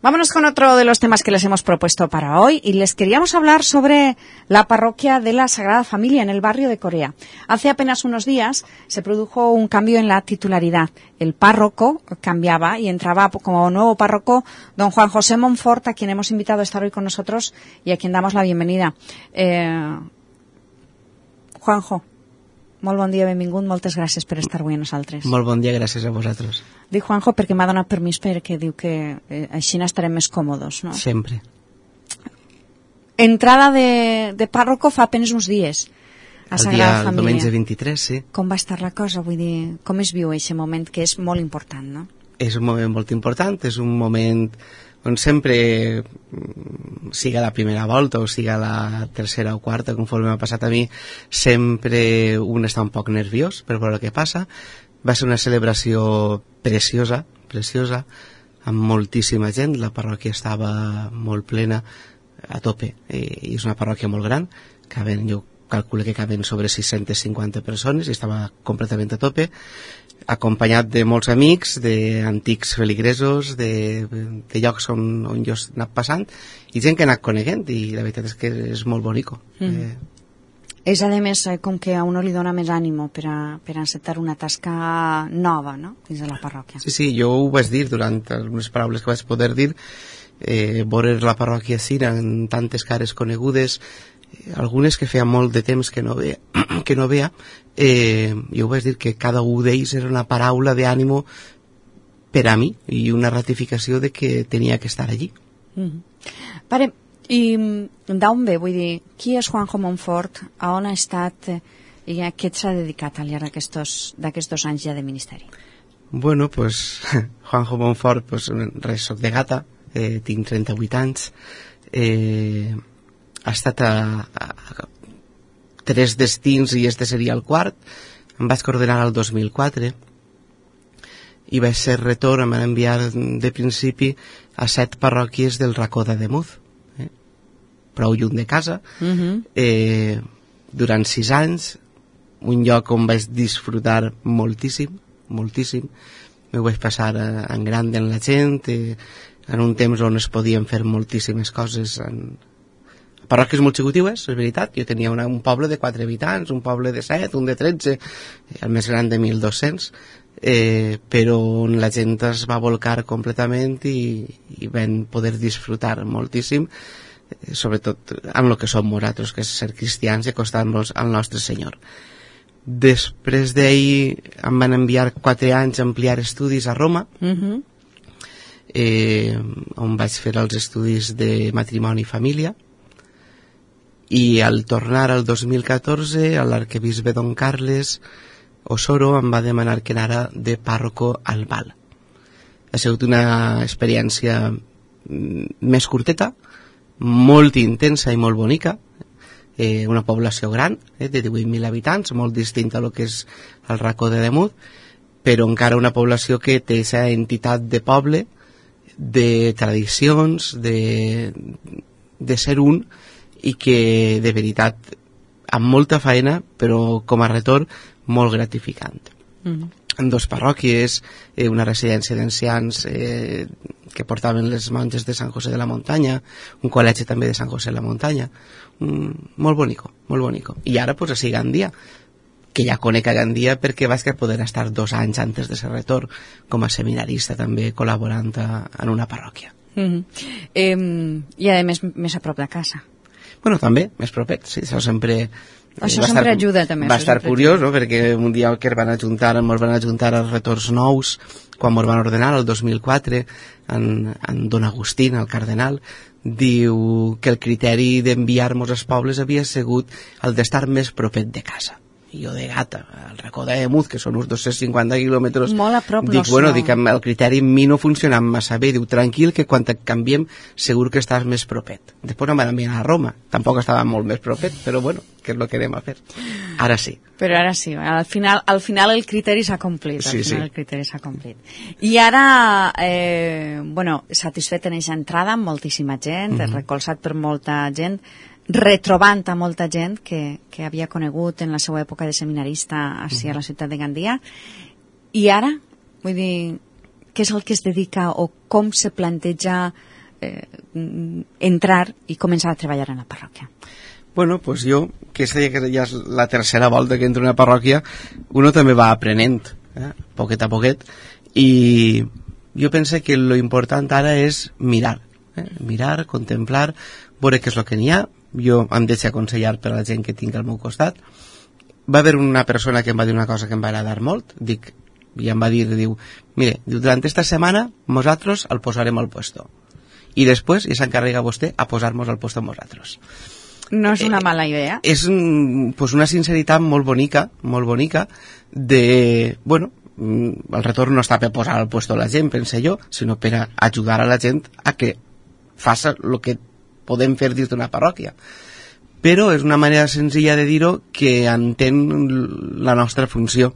Vámonos con otro de los temas que les hemos propuesto para hoy y les queríamos hablar sobre la parroquia de la Sagrada Familia en el barrio de Corea. Hace apenas unos días se produjo un cambio en la titularidad. El párroco cambiaba y entraba como nuevo párroco don Juan José Monfort, a quien hemos invitado a estar hoy con nosotros y a quien damos la bienvenida. Juanjo, molt bon dia, benvingut, moltes gràcies per estar avui amb nosaltres. Molt bon dia, gràcies a vosaltres. Dic Juanjo perquè m'ha donat permís perquè diu que així estarem més còmodes, no? Sempre. Entrada de párroco fa apenas uns dies a Sagrada Família. El diumenge 23, sí. Com va estar la cosa? Vull dir, com es viu aquest moment que és molt important, no? És un moment molt important, és un moment on sempre, siga la primera volta o siga la tercera o quarta, conforme m'ha passat a mi, sempre un està un poc nerviós per veure què passa. Va ser una celebració preciosa, amb moltíssima gent. La parròquia estava molt plena, a tope, i és una parròquia molt gran, jo calculo que caben sobre 650 persones, i estava completament a tope, acompanyat de molts amics, d'antics feligresos, de llocs on jo he anat passant, i gent que he anat coneguent, i la veritat és que és molt bonico. És, a més, com que a uno li dona més ànimo per encetar una tasca nova, no?, dins de la parròquia. Sí, jo ho vaig dir durant algunes paraules que vaig poder dir, veure la parròquia Cira en tantes cares conegudes, algunes que feia molt de temps que no veia, jo vaig dir que cada un d'ells era una paraula d'ànimo per a mi i una ratificació de que tenia que estar allí. Pare, i d'on ve? Vull dir, qui és Juanjo Monfort, a on ha estat i a què s'ha dedicat al llarg d'aquests 2 anys ja de ministeri? Bueno, pues Juanjo Monfort, pues res, soc de Gata, tinc 38 anys, ha estat a 3 destins i este seria el quart. Em vaig coordinar el 2004 i vaig ser retor, em van enviar de principi a 7 parròquies del racó d'Ademuz, prou lluny de casa, durant 6 anys, un lloc on vaig disfrutar moltíssim, m'ho vaig passar en gran amb la gent, en un temps on es podien fer moltíssimes coses, parròquies molt xicotigues, és veritat. Jo tenia un poble de 4 habitants, un poble de 7, un de 13, el més gran de 1.200, però on la gent es va volcar completament i vam poder disfrutar moltíssim, sobretot amb el que som nosaltres, que és ser cristians i acostar-nos al nostre Senyor. Després d'ahir em van enviar 4 anys a ampliar estudis a Roma, on vaig fer els estudis de matrimoni i família, i al tornar al 2014 l'arquebisbe Don Carles Osoro em va demanar que anara de pàrroco al Val. Ha sigut una experiència més curteta, molt intensa i molt bonica, una població gran, de 18.000 habitants, molt distinta a lo que és el racó d'Ademuz, però encara una població que té aquesta entitat de poble, de tradicions, de ser un, i que de veritat amb molta feina, però com a retorn molt gratificant. En 2 parròquies, una residència d'ancians que portaven les monges de Sant José de la Muntanya, un col·legi també de Sant José de la Muntanya, molt bonico. I ara pues a Gandia, que ja conec a Gandia perquè vaig poder estar 2 anys antes de ser retorn com a seminarista també col·laborant en una parròquia. I a més a prop de casa. Bueno, també, més propet, sí, això sempre ajuda també. Va estar curiós, no?, perquè un dia que ens van ajuntar els retorns nous, quan ens van ordenar, el 2004, en Don Agustín, el cardenal, diu que el criteri d'enviar-nos als pobles havia sigut el d'estar més propet de casa. I jo de Gata, al racó d'Ademuz, que són uns 250 quilòmetres, molt a prop, dic, el criteri en mi no funciona massa bé, diu, tranquil, que quan et canviem segur que estàs més propet. Després em van enviar a Roma, tampoc estava molt més propet, però bueno, què és el que anem a fer? Ara sí. Però ara sí, al final el criteri s'ha complit. Sí. El criteri s'ha complit. I ara, satisfet en aquesta entrada amb moltíssima gent, recolzat per molta gent, retrobant a molta gent que havia conegut en la seva època de seminarista a la ciutat de Gandia. I ara, vull dir, què és el que es dedica o com se planteja entrar i començar a treballar en la parròquia? Bueno, pues jo, que ja és la tercera volta que entro en una parròquia, uno també va aprenent, poquet a poquet, i jo penso que lo important ara és mirar, mirar, contemplar, veure què és el que n'hi ha. Jo em deixo aconsellar per a la gent que tinc al meu costat. Va haver una persona que em va dir una cosa que em va agradar molt, i em va dir, mire, durant esta setmana nosaltres el posarem al puesto i després ja s'encarrega vostè a posar-nos al puesto amb nosaltres. No és una mala idea. És pues una sinceritat molt bonica de, bueno, el retorn no està per posar al puesto la gent, pense jo, sinó per a ajudar a la gent a que faça el que podem fer dins d'una parròquia. Però és una manera senzilla de dir-ho que entén la nostra funció.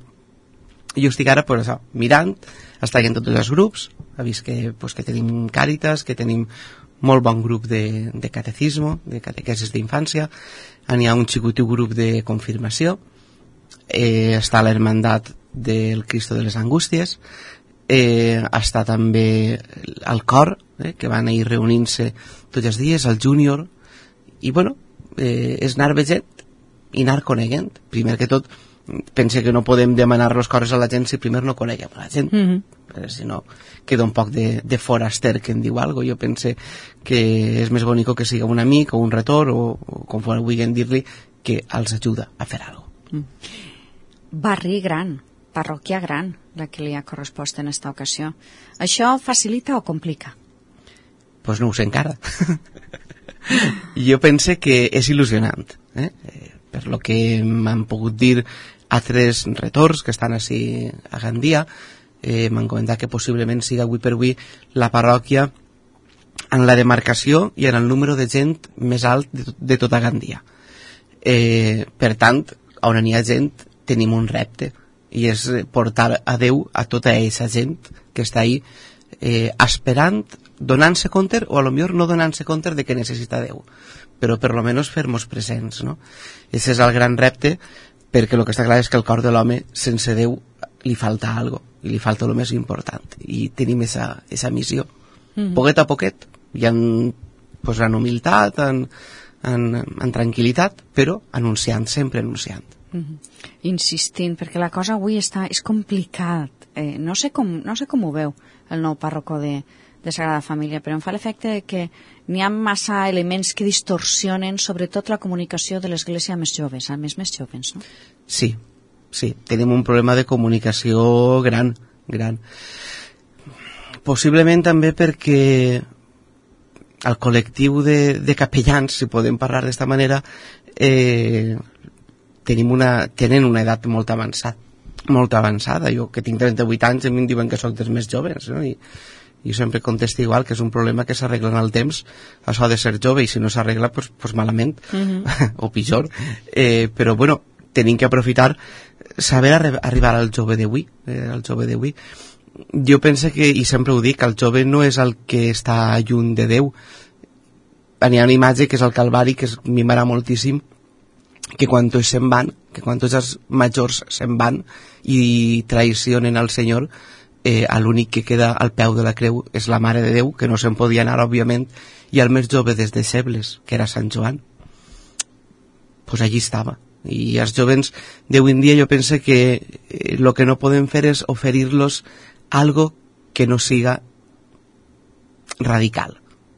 Jo estic ara, pues, això, mirant, estic en tots els grups, ha vist que tenim Càritas, que tenim molt bon grup de catecismo, de catequesis d'infància, n'hi ha un xicotiu grup de confirmació, està l'Hermandat del Cristo de les Angústies, està també el cor, que van ir reunint-se tots els dies, el júnior, i bueno, és anar veient i anar coneguent. Primer que tot, pense que no podem demanar les coses a la gent si primer no coneguem a la gent, si no queda un poc de foraster que en diu alguna cosa. Jo pense que és més bonic que siga un amic o un retor o com vulguin dir-li, que els ajuda a fer alguna cosa. Barri gran, parròquia gran, la que li ha correspost en aquesta ocasió. Això facilita o complica? Pues no ho sé encara. Jo pense que és il·lusionant, per lo que m'han pogut dir altres retors que estan així a Gandia. M'han comentat que possiblement siga avui per avui la parròquia en la demarcació i en el número de gent més alt de tota Gandia. Per tant, on n'hi ha gent tenim un repte, i és portar a Déu a tota aquesta gent que està ahí esperant, donant-se compte, o a lo millor no donant-se compte de que necessita Déu, però per lo menos fer-nos presents, no? Ese és el gran repte, perquè el que està clar és que el cor de l'home sense Déu li falta algo, i li falta el més important, i tenim esa missió. Poquet a poquet, i en humilitat, en tranquil·litat, però anunciant, sempre anunciant. Insistint, perquè la cosa avui és complicat. No sé com ho veu el nou pàrroco de Sagrada Família, però em fa l'efecte que n'hi ha massa elements que distorsionen sobretot la comunicació de l'Església a més joves, més joves, no? Sí, tenim un problema de comunicació gran. Possiblement també perquè el col·lectiu de capellans, si podem parlar d'esta manera, tenen una edat molt avançada. Jo, que tinc 38 anys, a mi em diuen que soc dels més joves, no? I jo sempre contesto igual, que és un problema que s'arregla en el temps, això de ser jove, i si no s'arregla, pues malament, o pitjor. Però, bueno, tenim que aprofitar, saber arribar al jove d'avui, Jo penso que, i sempre ho dic, el jove no és el que està lluny de Déu. Hi ha una imatge que és el Calvari, que m'agrada moltíssim, que quan tots se'n van, que quan tots els majors se'n van i traicionen al Senyor, l'únic que queda al peu de la creu és la Mare de Déu, que no se'n podia anar, òbviament, i el més jove dels deixebles, que era Sant Joan, pues allí estava. I els jovens d'avui en dia jo penso que el que no podem fer és oferir-los algo que no siga radical.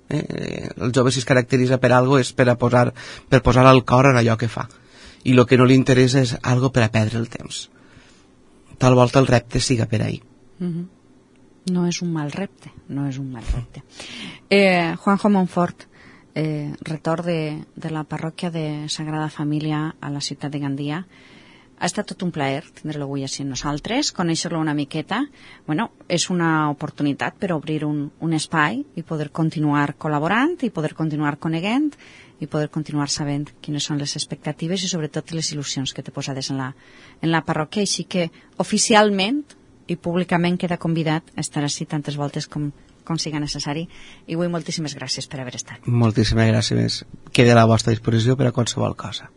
El jove, si es caracteritza per algo, és per posar el cor en allò que fa, i el que no li interessa és algo per a perdre el temps. Tal volta el repte siga per ahí. No és un mal repte. Juanjo Montfort, retor de la parròquia de Sagrada Família a la ciutat de Gandia, ha estat tot un plaer tindre-lo avui així amb nosaltres, conèixer-lo una miqueta. Bueno, és una oportunitat per obrir un espai i poder continuar col·laborant, i poder continuar coneguent, i poder continuar sabent quines són les expectatives i sobretot les il·lusions que té posades en la parròquia, així que oficialment i públicament queda convidat a estar així tantes voltes com siga necessari. I avui moltíssimes gràcies per haver estat. Moltíssimes gràcies. Queda a la vostra disposició per a qualsevol cosa.